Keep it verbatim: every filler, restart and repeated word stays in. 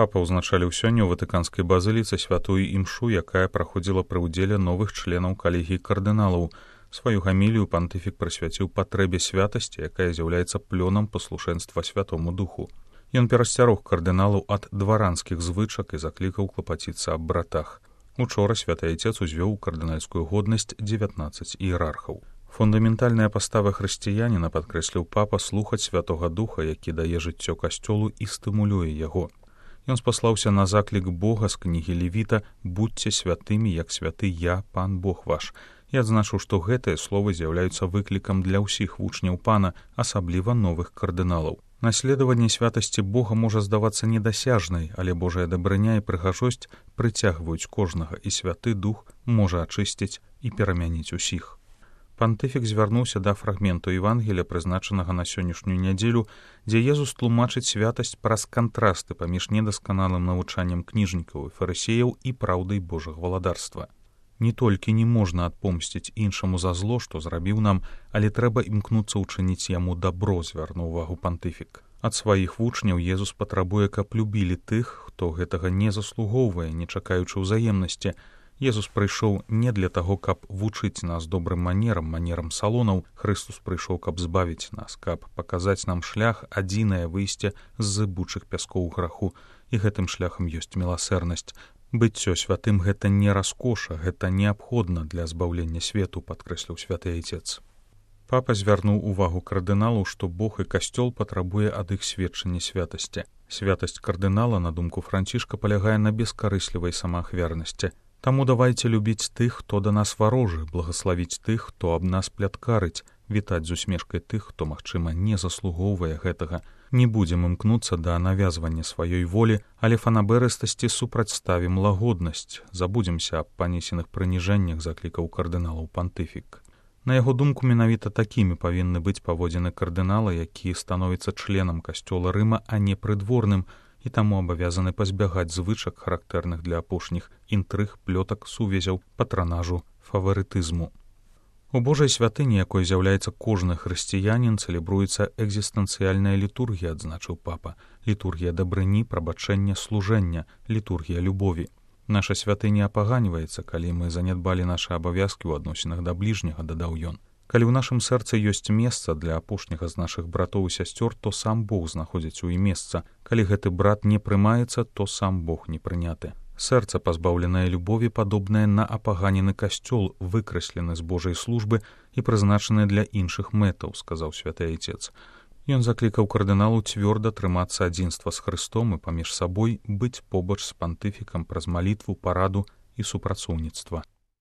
Папа ўзначаліў сёння ў ватыканскай базыліцы святую імшу, якая праходзіла пры ўдзеле новых членаў калегіі кардыналаў. Сваю гамілію пантыфік прысвяціў патрэбе святасці, якая з'яўляецца плёнам паслушэнства Святому Духу. Ён перасцярог кардыналаў ад дваранскіх звычак і заклікаў клапаціцца аб братах. Учора святы айцец узвёў у кардынальскую годнасць дзевятнаццаць іерархаў. Фундаментальная пастава хрысціяніна, падкрэсліў папа, слухаць Святога Духа, які дае жыццё касцёлу і стымулюе яго. Ён спаслаўся на заклік Бога з кнігі Левіта «Будьце святымі, як святы я, пан Бог ваш», і адзначыў, што гэтыя словы з'яўляюцца выклікам для ўсіх вучняў пана, асабліва новых кардыналаў. Наследаванне святасці Бога можа здавацца недасяжнай, але Божая дабрыня і прыгажосць прыцягваюць кожнага, і Святы Дух можа ачысціць і перамяніць усіх. Пантыфік звярнуўся да фрагменту Евангелія, прызначанага на сённяшнюю нядзелю, дзе Езус тлумачыць святасць праз кантрасты паміж недасканалым навучаннем кніжнікаў і фарысеяў і праўдай Божага валадарства. Не толькі не можна адпомсціць іншаму за зло, што зрабіў нам, але трэба імкнуцца ўчыніць яму дабро, звярнуў увагу пантыфік. Ад сваіх вучняў Езус патрабуе, каб любілі тых, хто гэтага не заслугоўвае, не чакаючы ўзаемнасці. Езус прыйшоў не для таго, каб вучыць нас добрым манерам, манерам салонаў. Хрыстус прыйшоў, каб збавіць нас, каб паказаць нам шлях, адзінае выйсце з зыбучых пяскоў граху, і гэтым шляхам ёсць міласэрнасць. Быццё святым гэта не раскоша, гэта неабходна для збаўлення свету, падкрэсліў святы айцец. Папа звярнуў увагу кардыналу, што Бог і касцёл патрабуе ад іх сведчання святасці. Святасць кардынала, на думку Францішка, палягае на бескарыслівай самаахвярнасці. Таму давайце любіць тых, хто да нас варожы, благаславіць тых, хто аб нас пляткарыць, вітаць з усмешкай тых, хто, магчыма, не заслугоўвае гэтага. Не будзем імкнуцца да навязвання сваёй волі, але фанаберыстасці супрацьставім лагоднасць. Забудземся аб панесеных прыніжэннях, заклікаў кардыналаў пантыфік. На яго думку, менавіта такімі павінны быць паводзіны кардынала, які становіцца членам касцёла Рыма, а не прыдворным, і таму абавязаны пазбягаць звычак, характэрных для апошніх інтрыг, плётак, сувязяў, патранажу, фаварытызму. У Божай святыні, якой з'яўляецца кожны хрысціянін, цэлебруецца экзістэнцыяльная літургія, адзначыў папа. Літургія дабрыні, прабачэння, служэння, літургія любові. Наша святыня апаганьваецца, калі мы занядбалі нашы абавязкі ў адносінах да бліжняга, дадаў ён. Калі ў нашым сэрцы ёсць месца для апошняга з нашых братоў і сясцёр, то сам Бог знаходзіць у ім месца. Калі гэты брат не прымаецца, то сам Бог не прыняты. Сэрца, пазбаўленае любові, падобнае на апаганены касцёл, выкраслены з Божай службы і прызначаны для іншых мэтаў, сказаў святы айцец. Ён заклікаў кардыналу цвёрда трымацца адзінства з Хрыстом і паміж сабой, быць побач з пантыфікам праз малітву, параду і супрацоўніцтва.